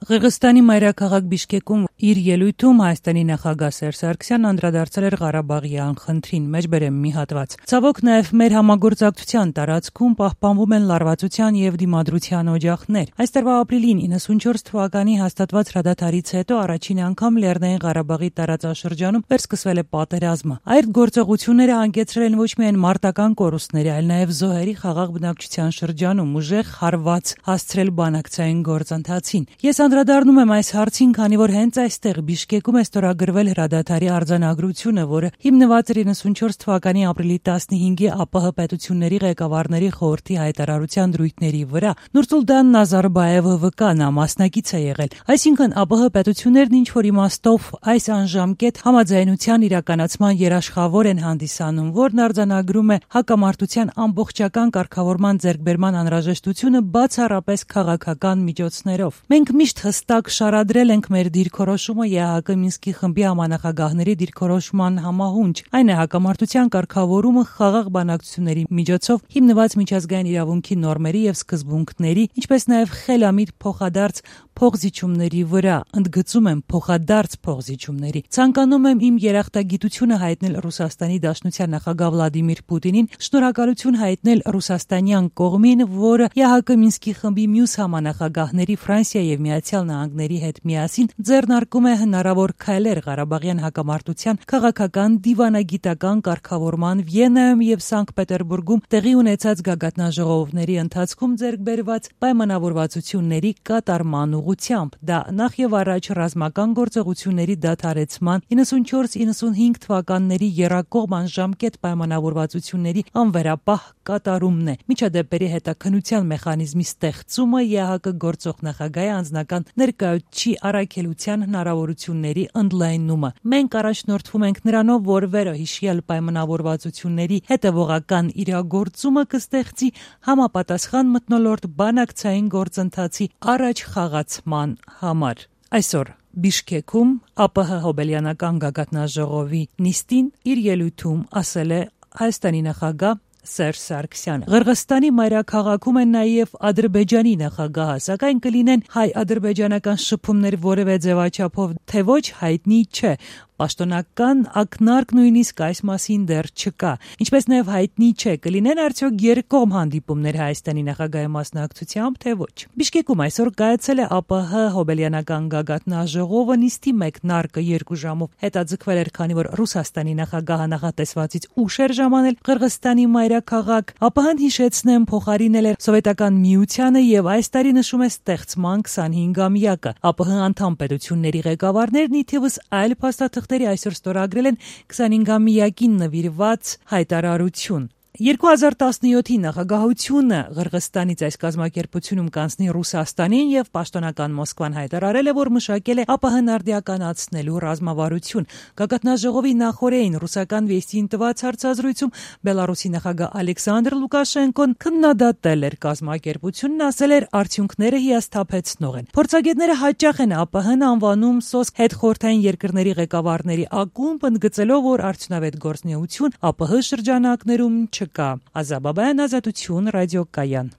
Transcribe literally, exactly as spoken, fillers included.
Ղրղստանի մայրաքաղաք Բիշկեկում իր ելույթում Հայաստանի նախագահ Սերժ Սարգսյանն անդրադարձել էր Ղարաբաղի անխնդրին, մեջբերեմ մի հատված. Ցավոք նաև մեր համագործակցության տարածքում պահպանվում են լարվածության եւ դիմադրության օջախներ։ Այս տարվա ապրիլին իննսունչորս թվականի հաստատված հրադադարից հետո առաջին անգամ Լեռնային Ղարաբաղի տարածաշրջանում վերսկսվել է պատերազմը։ Այդ գործողությունները հանգեցրել են ոչ միայն մարտական կորուստների, այլ նաև զոհերի խաղաղ բնակչության շրջանում ուժեղ հարված հասցրել բանակցային գործընթացին։ Ես անդրադառնում եմ այս հարցին, քանի որ հենց այստեղ Բիշկեկում է ստորագրվել հրադադարի արձանագրությունը, որը հիմնված էր իննսունչորս թվականի ապրիլի տասնհինգի ԱՊՀ պետությունների ղեկավարների խորհրդի հայտարարության դրույթների վրա։ Նուրսուլտան Նազարբաևը վկա, նա մասնակից է եղել։ Այսինքն ԱՊՀ պետություններն ինչ որ իմաստով այս անժամկետ համաձայնության իրականացման երաշխավոր են հանդիսանում, որն արձանագրում է հակամարտության ամբողջական կարգավորման ձեռքբերման անհրաժեշտությունը բացառապես քաղաքական միջոցներով։ Մենք միշտ հստակ շարադրել ենք մեր դիրքորոշումը ԵԱՀԿ Մինսկի խմբի համանախագահների դիրքորոշման համահունչ։ Այն է հակամարտության կարգավորումը խաղաղ բանակցությունների միջոցով հիմնված միջազգային իրավունքի նորմերի եւ սկզբունքների, ինչպես նաեւ խելամիտ փոխադարձ փոխզիջումների վրա, ընդգծում եմ փոխադարձ փոխզիջումների։ Ցանկանում եմ իմ երախտագիտությունը հայտնել Ռուսաստանի Դաշնության նախագահ Վլադիմիր Պուտինին, շնորհակալություն հայտնել ռուսաստանյան կողմին, որը ԵԱՀԿ Մինսկի խմբի մյուս համանախագահների Ֆրանսիա եւ Միացյալ Նահանգների հետ միասին ձեռնարկում է հնարավոր քայլեր Ղարաբաղյան հակամարտության քաղաքական դիվանագիտական կարգավորման Վիեննայում եւ Սանկտ Պետերբուրգում տեղի ունեցած գագաթնաժողովների ընթացքում ձեռք բերված պայմանավորվածությունների կատարման ուղղությամբ։ Դա նախ եւ առաջ ռազմական գործողությունների դադարեցման իննսունչորս իննսունհինգ թվականների եռակողմ անժամկետ պայմանավորվածությունների անվերապահ կատարումն է։ Միջադեպերի հետաքննության մեխանիզմի ստեղծումը, ԵԱՀԿ գործող նախագահի անձնական ներկայացուցիչի առաքելության հնարավորությունների ընդլայնումը։ Մենք առաջնորդվում ենք նրանով, որ վերոհիշյալ պայմանավորվածությունների հետևողական իրագործումը կստեղծի համապատասխան մթնոլորտ բանակցային գործընթացի առաջ խաղացման համար։ Այսօր Բիշկեկում ԱՊՀ հոբելյանական գագաթնաժողովի նիստին իր ելույթում ասել է Հայաստանի նախագահ Սերժ Սարգսյանը։ Ղրղստանի մայրաքաղաքում են նաև Ադրբեջանի նախագահը, սակայն կլինեն հայ-ադրբեջանական շփումներ որևէ ձևաչափով, թե ոչ հայտնի չէ։ Պաշտոնական ակնարկ նույնիսկ այս մասին դեռ չկա։ Ինչպես նաև հայտնի չէ, կլինեն արդյոք երկկողմ հանդիպումներ Հայաստանի նախագահի մասնակցությամբ, թե ոչ։ Բիշկեկում այսօր կայացել է ԱՊՀ հոբելյանական գագաթնաժողովը, նիստի մեկնարկը երկու ժամով հետաձգվել էր, քանի որ Ռուսաստանի նախագահը նախատեսվածից ուշ էր ժամանել Ղրղստանի մայրաքաղաք։ ԱՊՀ-ն, հիշեցնեմ, փոխարինել էր Սովետական Միությանը եւ այս տարի նշում է ստեղծման քսանհինգամյակը։ ԱՊՀ անդամ պետությունների ղեկավարներն ի թիվս այլ փաստաթղթերի այսօր ստորագրել են քսանհինգամյակին նվիրված հայտարարություն։ երկու հազար տասնյոթի նախագահությունը Ղրղստանից այս կազմակերպությունում կանցնի Ռուսաստանին եւ պաշտոնական Մոսկվան հայտարարել է, որ մշակել է ԱՊՀ-ն արդիականացնելու ռազմավարություն։ Գագաթնաժողովի նախօրեին ռուսական վեստին տված հարցազրույցում Բելարուսի նախագահ Ալեքսանդր Լուկաշենկոն քննադատել էր կազմակերպությունն, ասել էր արդյունքները հիասթափեցնող են։ Փորձագետները հաճախ են ԱՊՀ-ն անվանում սոսկ հետխորհրդային երկրների ղեկավարների ակումբ, ընդգծելով, որ արդյունավետ գործունեություն ԱՊՀ շրջանակներում չկա։ Ազաբաբայան, Ազատություն, ռադիոկայան։